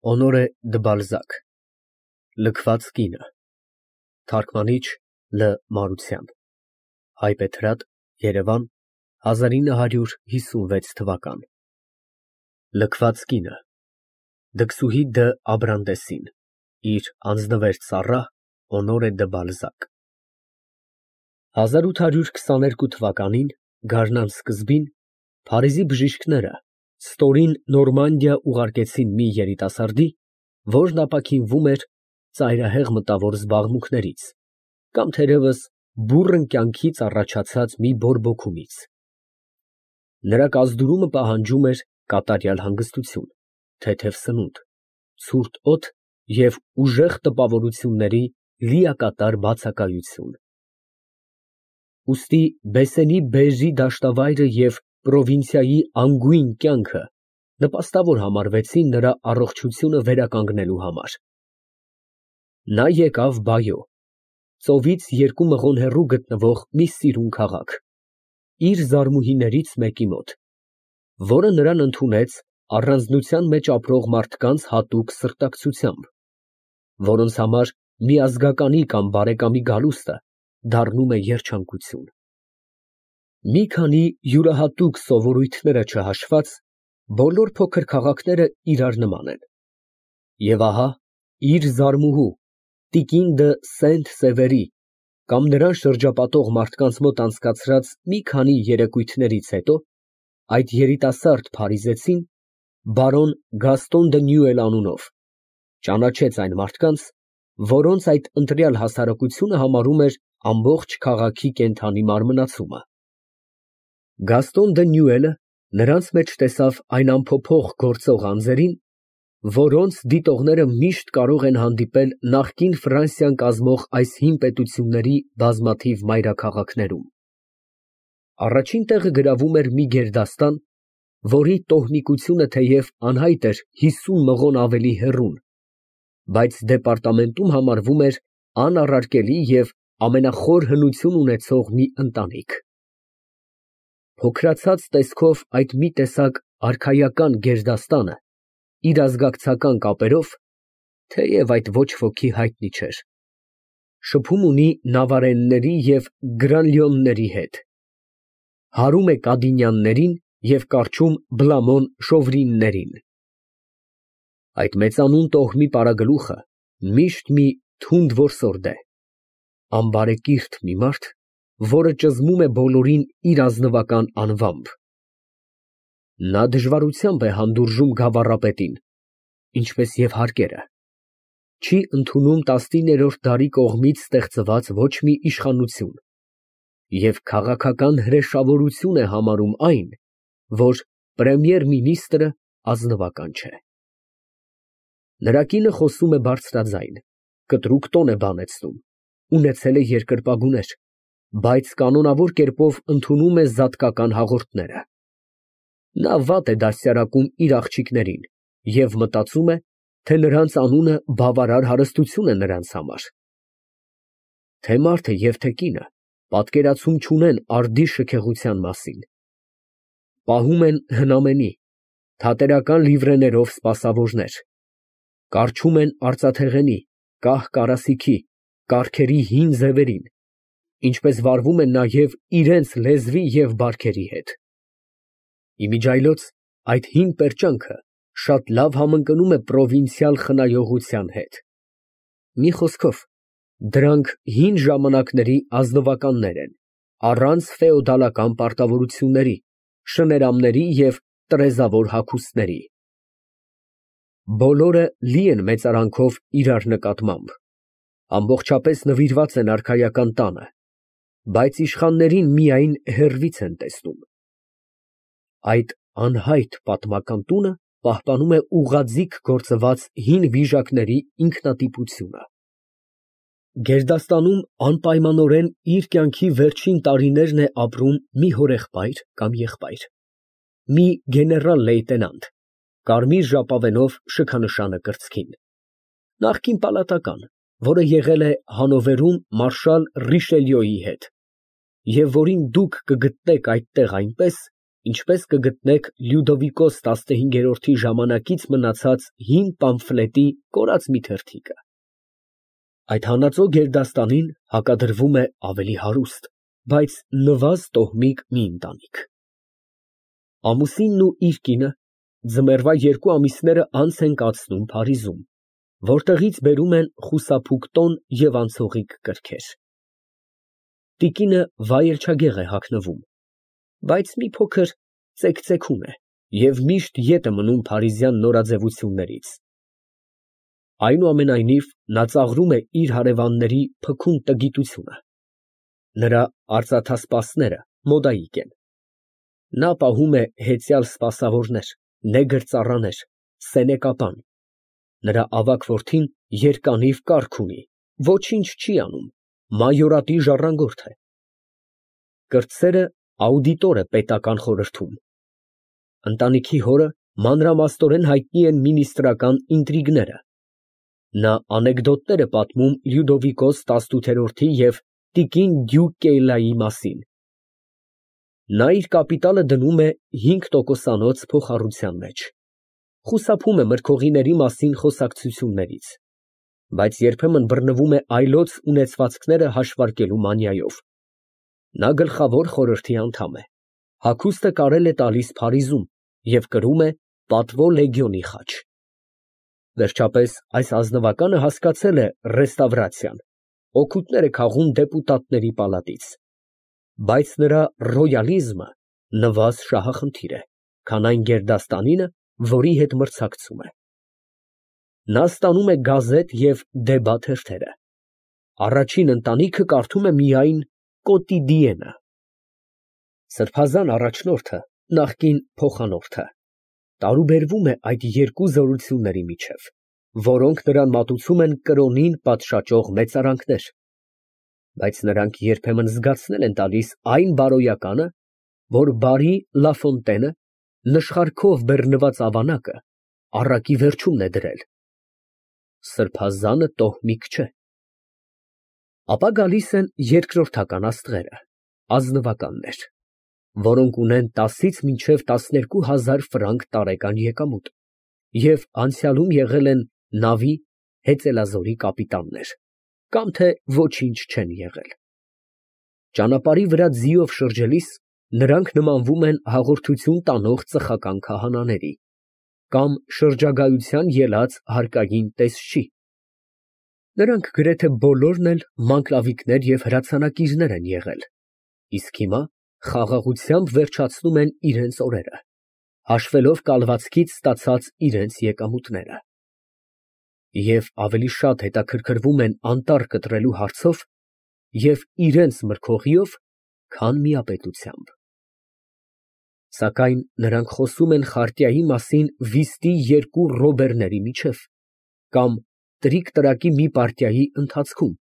Օնորե դը Բալզակ Լքված կինը Թարգմանիչ Լ Մարության Հայբեթրատ Երևան 1956 Լքված կինը Դքսուհի դը Աբրանդեսին իր անձնվեր ծառա Օնորե դը Բալզակ 1822 թվականին գարնան սկզբին Փարիզի բժիշկները ստորին Նորմանդիա ուղարկեցին մի երիտասարդի, որն ապաքինվում էր ծայրահեղ մտավոր զբաղմունքներից կամ թերևս բուռն կյանքից առաջացած մի բորբոքումից։ Նրա կազդուրումը պահանջում էր կատարյալ հանգստություն, թեթև սնունդ, ցուրտ օդ և ուժեղ տպավորությունների լիակատար բացակայություն։ Ուստի Բեսենի Բեժի դաշտավայրը և պրովինցիայի անգույն կյանքը նպաստավոր համարվեցին նրա առողջությունը վերականգնելու համար։ Նա եկավ Բայո, ծովից 2 մղոն հեռու գտնվող մի սիրուն քաղաք, իր զարմուհիներից մեկի մոտ, որը նրան ընդունեց առանձնության մեջ ապրող մարդկանց հատուկ սրտակցությամբ, որոնց համար միազգականի կամ բարեկամի գալուստը դառնում է երջանկություն։ Մի քանի յուրահատուկ սովորույթները չհաշված, բոլոր փոքր քաղաքները իրար նման են։ Եվ ահա իր զարմուհու տիկին դը Սենտ֊Սևերի կամ նրան շրջապատող մարդկանց մոտ անցկացրած մի քանի երեկույթներից հետո այդ երիտասարդ փարիզեցին բարոն Գաստոն դը Նյուել անունով ճանաչեց այն մարդկանց, որոնց այդ ընտրյալ հասարակությունը համարում էր ամբողջ քաղաքի կենդանի մարմնացումը։ Գաստոն դը Նյուելը նրանց մեջ տեսավ այն անփոփոխ գործող անձերին, որոնց դիտողները միշտ կարող են հանդիպել նախկին Ֆրանսիան կազմող այս հին պետությունների բազմաթիվ մայրաքաղաքներում։ Առաջին տեղը գրավում էր մի գերդաստան, որի տոհմիկությունը թեև անհայտ էր 50 մղոն ավելի հեռուն, բայց դեպարտամենտում համարվում էր անառարկելի և ամենախոր հնություն ունեցող մի ընտանիք։ Փոքրացած տեսքով այդ մի տեսակ արքայական գերդաստանը իր ազգակցական կապերով, թեև այդ ոչ ոքի հայտնի չէր, շփում ունի նավարենների և գրանլյոնների հետ, հարում է կադինյաններին և կառչում բլամոն շովրիններին։ Այդ մեծանուն տոհմի պարագլուխը միշտ մի թունդ որսորդ է, անբարեկիրթ մի մարդ, որը ճզմում է բոլորին իր ազնվական անվամբ։ Նա դժվարությամբ է հանդուրժում գավառապետին, ինչպես և հարկերը, չի ընդունում 19-րդ դարի կողմից ստեղծված ոչ մի իշխանություն և քաղաքական հրեշավորություն է համարում այն, որ պրեմիեր֊մինիստրը ազնվական չէ։ Նրա կինը խոսում է բարձրաձայն, կտրուկ տոն է բանեցնում, ունեցել է երկրպագուներ, բայց կանոնավոր կերպով ընդունում է զատկական հաղորդները։ Նա վատ է դաստիարակում իր աղջիկներին և մտածում է, թե նրանց անունը բավարար հարստություն է նրանց համար։ Թե մարդը և թե կինը պատկերացում չունեն արդի շքեղության մասին։ Պահում են հնամենի, թատերական լիվրեներով սպասավորներ, կառչում են արծաթեղենի, կահ կարասիքի, կառքերի հին ձևերին, ինչպես վարվում են նաև իրենց լեզվի և բարքերի հետ։ Իմիջիայլոց այդ հին պերճանքը շատ լավ համընկնում է պրովինցիալ խնայողության հետ։ Մի խոսքով, դրանք հին ժամանակների ազնվականներ են, առանց ֆեոդալական պարտավորությունների, շներամների և տրեզավոր հագուստների։ Բոլորը լի են մեծարանքով իրար նկատմամբ, ամբողջապես նվիրված են արքայական տանը, բայց իշխաններին միայն հեռվից են տեսնում։ Այդ անհայտ պատմական տունը պահպանում է ուղղաձիգ գործված հին վիժակների ինքնատիպությունը։ Գերդաստանում անպայմանորեն իր կյանքի վերջին տարիներն է ապրում մի հորեղբայր կամ եղբայր, մի գեներալ֊լեյտենանտ, կարմիր ժապավենով շքանշանը կրծքին, նախկին պալատական, որը եղել է Հանովերում մարշալ Ռիշելյոյի հետ, և որին դուք կգտնեք այդտեղ այնպես, ինչպես կգտնեք Լյուդովիկոս 15-րդի ժամանակից մնացած հին պամֆլետի կորած մի թերթիկը։ Այդ հանածո գերդաստանին հակադրվում է ավելի հարուստ, բայց նվազ տոհմիկ մի ընտանիք։ Ամուսինն ու իր կինը ձմեռվա 2 ամիսները անց են կացնում Փարիզում, որտեղից բերում են խուսափուկ տոն և անցողիկ կրքեր։ Տիկինը վայելչագեղ է հագնվում, բայց մի փոքր ծեքծեքում է և միշտ ետ է մնում փարիզյան նորաձևություններից։ Այնուամենայնիվ, նա ծաղրում է իր հարևանների փքուն տգիտությունը։ Նրա արծաթասպասները մոդայիկ են։ Նա պահում է հեծյալ սպասավորներ, նեգր ծառաներ, սենեկապան։ Նրա ավագ որդին երկանիվ կառք ունի, ոչինչ չի անում, մայորատի ժառանգորդ է։ Կրտսերը աուդիտոր է պետական խորհրդում։ Ընտանիքի հորը մանրամասնորեն հայտնի են մինիստրական ինտրիգները։ Նա անեկդոտներ է պատմում Լյուդովիկոս 18-րդի և տիկին Դյուկ մասին։ Նա իր կապիտալը դնում է 5%-անոց փոխառության մեջ, խուսափում է մրգողիների մասին խոսակցություններից, բայց երբեմն բռնվում է այլոց ունեցվածքները հաշվարկելու մանիայով։ Նա գլխավոր խորհրդի անդամ է, հագուստը կարել է տալիս Փարիզում և կրում է պատվո լեգիոնի խաչ։ Վերջապես այս ազնվականը հասկացել է ռեստավրացիան, օգուտներ է քաղում դեպուտատների պալատից, բայց նրա ռոյալիզմը նվազ շահախնդիր է, քան այն գերդաստանինը, որի հետ մրցակցում է։ Նա ստանում է գազետ և դեբա թերթերը։ Առաջին ընտանիքը կարդում է միայն Կոտիդիենը։ Սրբազան առաջնորդը, նախկին փոխանորդը, տարուբերվում է այդ երկու զորությունների միջև, որոնք նրան մատուցում են կրոնին պատշաճող մեծարանքներ, բայց նրանք երբեմն զգացնել են տալիս այն բարոյականը, որ բարի Լաֆոնտենը նշխարքով բեռնված ավանակը առակի վերջումն է դրել։ Սրբազանը տոհմիկ չէ։ Ապա գալիս են երկրորդական աստղերը, ազնվականներ, որոնք ունեն 10-ից մինչև 12,000 ֆրանկ տարեկան եկամուտ և անցյալում եղել են նավի հեծելազորի կապիտաններ, կամ թե ոչինչ չեն եղել։ Ճանապարհի վրա ձիով շրջելիս նրանք նմանվում են հաղորդություն տանող ծխական քահանաների կամ շրջագայության ելած հարկային տեսչի։ Նրանք գրեթե բոլորն էլ մանկլավիկներ և հրացանակիրներ են եղել, իսկ հիմա խաղաղությամբ վերջացնում են իրենց օրերը, հաշվելով կալվածքից ստացած իրենց եկամուտները։ Եվ ավելի շատ հետաքրքրվում են անտառ կտրելու հարցով և իրենց մրգողիով, քան միապետությամբ։ Սակայն նրանք խոսում են խարտիայի մասին վիստի 2 ռոբերների միջև, կամ տրիկ֊տրակի մի պարտիայի ընթացքում,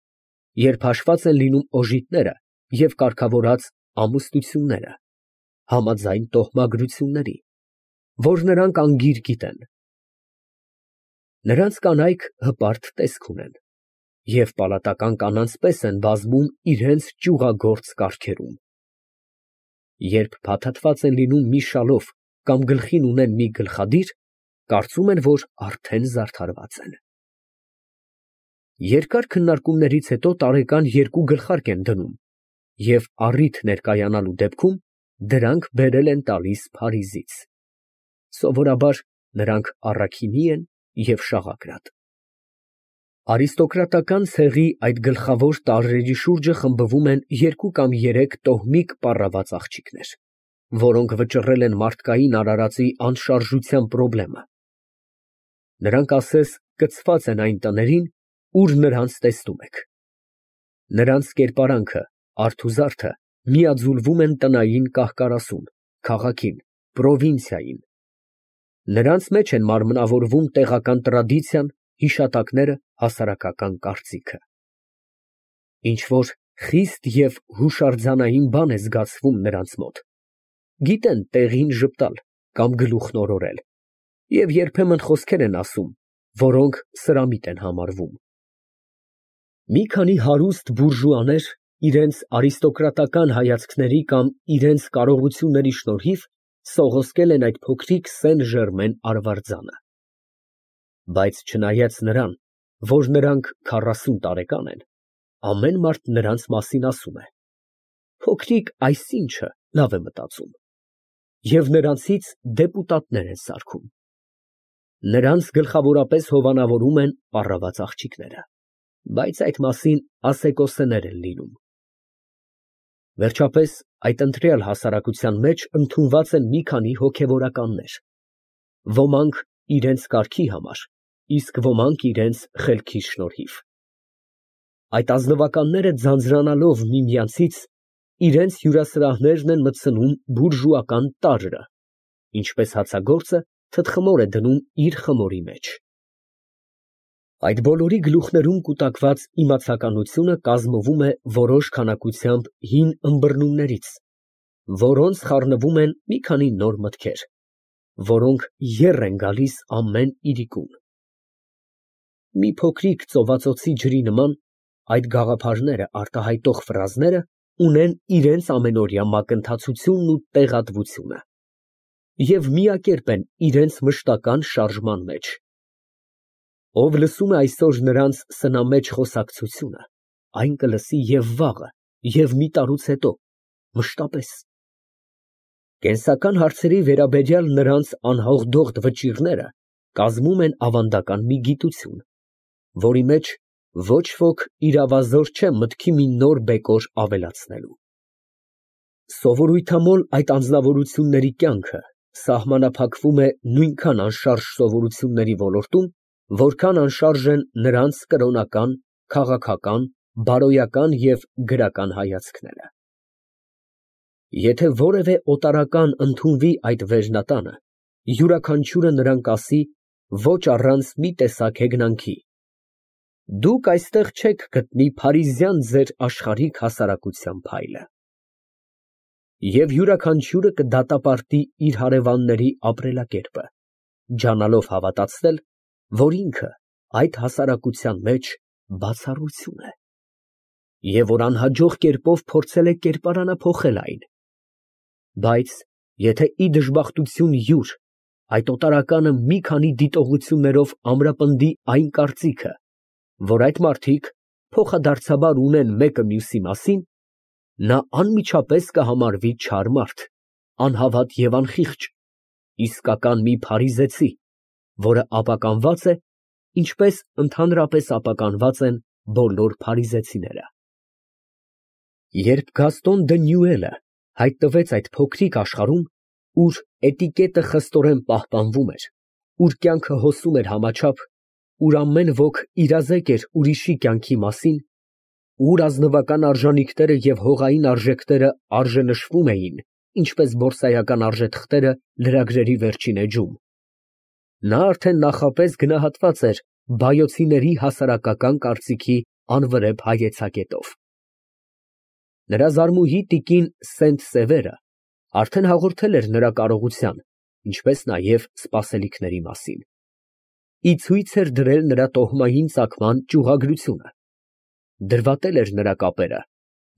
երբ հաշված են լինում օժիտները և կարգավորած ամուսնությունները, համաձայն տոհմագրությունների, որ նրանք անգիր գիտեն։ Նրանց կանայք հպարտ տեսք ունեն և պալատական կանանց պես են բազմում իրենց ճյուղագործ կառքերում։ Երբ փաթաթված են լինում մի շալով կամ գլխին ունեն մի գլխադիր, կարծում են, որ արդեն զարդարված են։ Երկար քննարկումներից հետո տարեկան 2 գլխարկ են դնում և առիթ ներկայանալու դեպքում դրանք բերել են տալիս Փարիզից։ Սովորաբար նրանք առաքինի են և շաղակրատ։ Արիստոկրատական ցեղի այդ գլխավոր տարրերի շուրջը խմբվում են 2 կամ 3 տոհմիկ պառաված աղջիկներ, որոնք վճռել են մարդկային արարածի անշարժության պրոբլեմը։ Նրանք ասես կցված են այն տներին, ուր նրանց տեսնում եք։ Նրանց կերպարանքը, արթ ու զարդը միաձուլվում են տնային կահ֊կարասուն, քաղաքին, պրովինցիային։ Նրանց մեջ են մարմնավորվում տեղական տրադիցիան, հիշատակները, հասարակական կարծիքը։ Ինչ֊որ խիստ և հուշարձանային բան է զգացվում նրանց մոտ։ Գիտեն տեղին ժպտալ կամ գլուխն օրորել և երբեմն խոսքեր են ասում, որոնք սրամիտ են համարվում։ Մի քանի հարուստ բուրժուաներ իրենց արիստոկրատական հայացքների կամ իրենց կարողությունների շնորհիվ սողոսկել են այդ փոքրիկ սեն ժերմեն արվարձանը։ Բայց չնայած նրան, որ նրանք 40 տարեկան են, ամեն մարդ նրանց մասին ասում է. փոքրիկ այսինչը լավ է մտածում, և նրանցից դեպուտատներ են սարքում։ Նրանց գլխավորապես հովանավորում են պառաված աղջիկները, բայց այդ մասին ասեկոսեներ են լինում։ Վերջապես, այդ ընտրյալ հասարակության մեջ ընդունված են մի քանի հոգևորականներ, ոմանք իրենց կարգի համար, իսկ ոմանք իրենց խելքի շնորհիվ։ Այդ ազնվականները ձանձրանալով միմյանցից, իրենց հյուրասրահներն են մտցնում բուրժուական տարրը, ինչպես հացագործը թտխմոր է դնում իր խմորի մեջ։ Այդ բոլորի գլուխներում կուտակված իմացականությունը կազմվում է որոշ քանակությամբ հին ըմբռնումներից, որոնց խառնվում են մի քանի նոր մտքեր, որոնք եռ են գալիս ամեն իրիկուն։ Մի փոքրիկ ծովածոցի ջրի նման այդ գաղափարները արտահայտող ֆրազները ունեն իրենց ամենօրյա մակընթացությունն ու տեղատվությունը և միակերպ են իրենց մշտական շարժման մեջ։ Ով լսում է այսօր նրանց սնամեջ խոսակցությունը, այն կլսի և վաղը, և մի տարուց հետո, մշտապես։ Կենսական հարցերի վերաբերյալ նրանց անհաղդողդ վճիռները կազմում են ավանդական մի գիտություն, որի մեջ ոչ ոք իրավազոր չէ մտքի մի նոր բեկոր ավելացնելու։ Սովորույթամոլ այդ անձնավորությունների կյանքը սահմանափակվում է նույնքան անշարժ սովորությունների ոլորտում, որքան անշարժ են նրանց կրոնական, քաղաքական, բարոյական և գրական հայացքները։ Եթե որևէ օտարական ընդունվի այդ վերնատանը, յուրաքանչյուրը նրան կասի ոչ առանց մի տեսակ հեգնանքի. դուք այստեղ չեք գտնի փարիզյան ձեր աշխարհիկ հասարակության փայլը։ Եվ յուրաքանչյուրը կդատապարտի իր հարևանների ապրելակերպը, ջանալով հավատացնել, որ ինքը այդ հասարակության մեջ բացառություն է, և որ անհաջող կերպով փորձել է կերպարանափոխել այն։ Բայց եթե ի դժբախտություն յուր այդ օտարականը մի քանի դիտողություններով ամրապնդի այն կարծիքը, որ այդ մարդիկ փոխադարձաբար ունեն մեկը մյուսի մասին, նա անմիջապես կհամարվի չար մարդ, անհավատ և անխիղճ, իսկական մի փարիզեցի, որը ապականված է, ինչպես ընդհանրապես ապականված են բոլոր փարիզեցիները։ Երբ Գաստոն դը Նյուելը հայտնվեց այդ փոքրիկ աշխարհում, ուր էտիկետը խստորեն պահպանվում էր, ուր կյանքը հոսում էր համաչափ, ուր ամեն ոք իրազեկ էր ուրիշի կյանքի մասին, ուր ազնվական արժանիքները և հողային արժեքները արժենշվում էին, ինչպես բորսայական արժեթղթերը լրագրերի վերջին էջում, նա արդեն նախապես գնահատված էր վայոցիների հասարակական կարծիքի անվրեպ հայեցակետով։ Նրա զարմուհի տիկին Սենտ֊Սևերը արդեն հաղորդել էր նրա կարողության, ինչպես նաև սպասելիքների մասին, ի ցույց էր դրել նրա տոհմային ծագման ճյուղագրությունը, դրվատել էր նրա կապերը,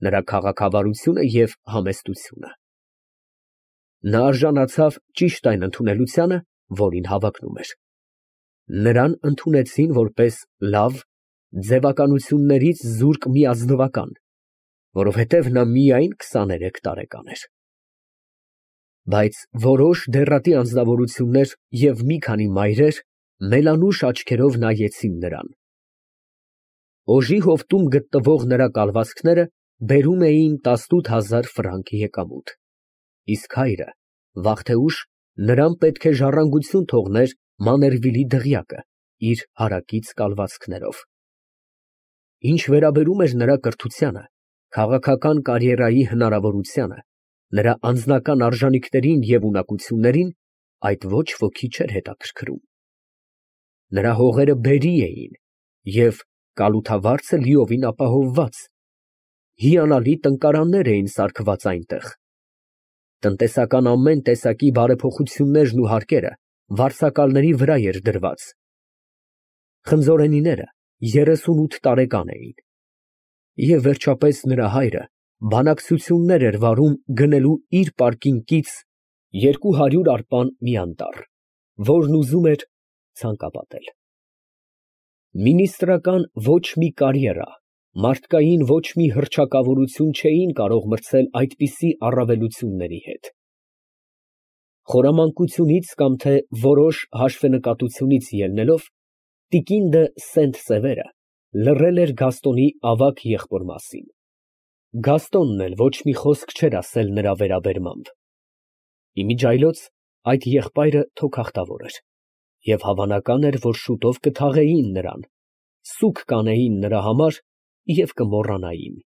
նրա քաղաքավարությունը և համեստությունը։ Նա արժանացավ ճիշտ այն ընդունելությանը, որին հավակնում էր։ Նրան ընդունեցին որպես լավ, ձևականություններից զուրկ մի ազնվական, որովհետև նա միայն 23 տարեկան էր։ Բայց որոշ դեռատի անձնավորություններ և մի քանի մայրեր մելանուշ աչքերով նայեցին նրան։ Օժի հովտում գտնվող նրա կալվածքները բերում էին 18,000 ֆրանկ եկամուտ, իսկ հայրը, վաղ թե ուշ, նրան պետք է ժառանգություն թողներ Մաներվիլի դղյակը իր հարակից կալվածքներով։ Ինչ վերաբերում էր նրա կրթությանը, քաղաքական կարիերայի հնարավորությանը, նրա անձնական արժանիքներին և ունակություններին, այդ ոչ ոքի չէր հետաքրքրում։ Նրա հողերը բերի էին և կալութավարձը լիովին ապահովված, հիանալի տնկարաններ էին սարքված այնտեղ։ Տնտեսական ամեն տեսակի բարեփոխություններն ու հարկերը վարձակալների վրա էր դրված։ Խնձորենիները 38 տարեկան էին։ Եվ վերջապես նրա հայրը բանակցություններ էր վարում գնելու իր պարկինկից 200 արպան մի անտառ, որն ուզում էր ցանկապատել։ Մինիստրական ոչ մի կարիերա, մարդկային ոչ մի հռչակավորություն չէին կարող մրցել այդպիսի առավելությունների հետ։ Խորամանկությունից կամ թե որոշ հաշվենկատությունից ելնելով, տիկին դը Սենտ֊Սևերը լռել էր Գաստոնի ավագ եղբոր մասին։ Գաստոնն էլ ոչ մի խոսք չէր ասել նրա վերաբերմամբ։ Իմիջիայլոց այդ եղբայրը թոքախտավոր էր, և հավանական էր, որ շուտով կթաղեին նրան, սուգ կանեին նրա համար և կմոռանային։